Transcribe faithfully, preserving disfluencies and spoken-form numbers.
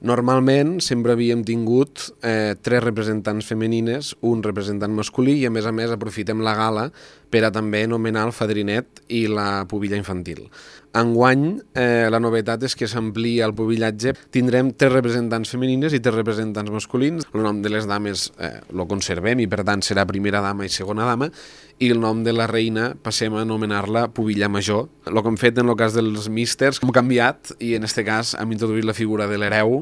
Normalment sempre havíem tingut eh, tres representants femenines, un representant masculí i a més a més aprofitem la gala per a també anomenar el fadrinet i la pubilla infantil. Enguany, eh, la novetat és que s'amplia el pubillatge. Tindrem tres representants femenines i tres representants masculins. El nom de les dames eh, lo conservem i per tant serà primera dama i segona dama, i el nom de la reina passem a anomenar-la pubilla major. El que hem fet en el cas dels místers hem canviat i en aquest cas hem introduït la figura de l'hereu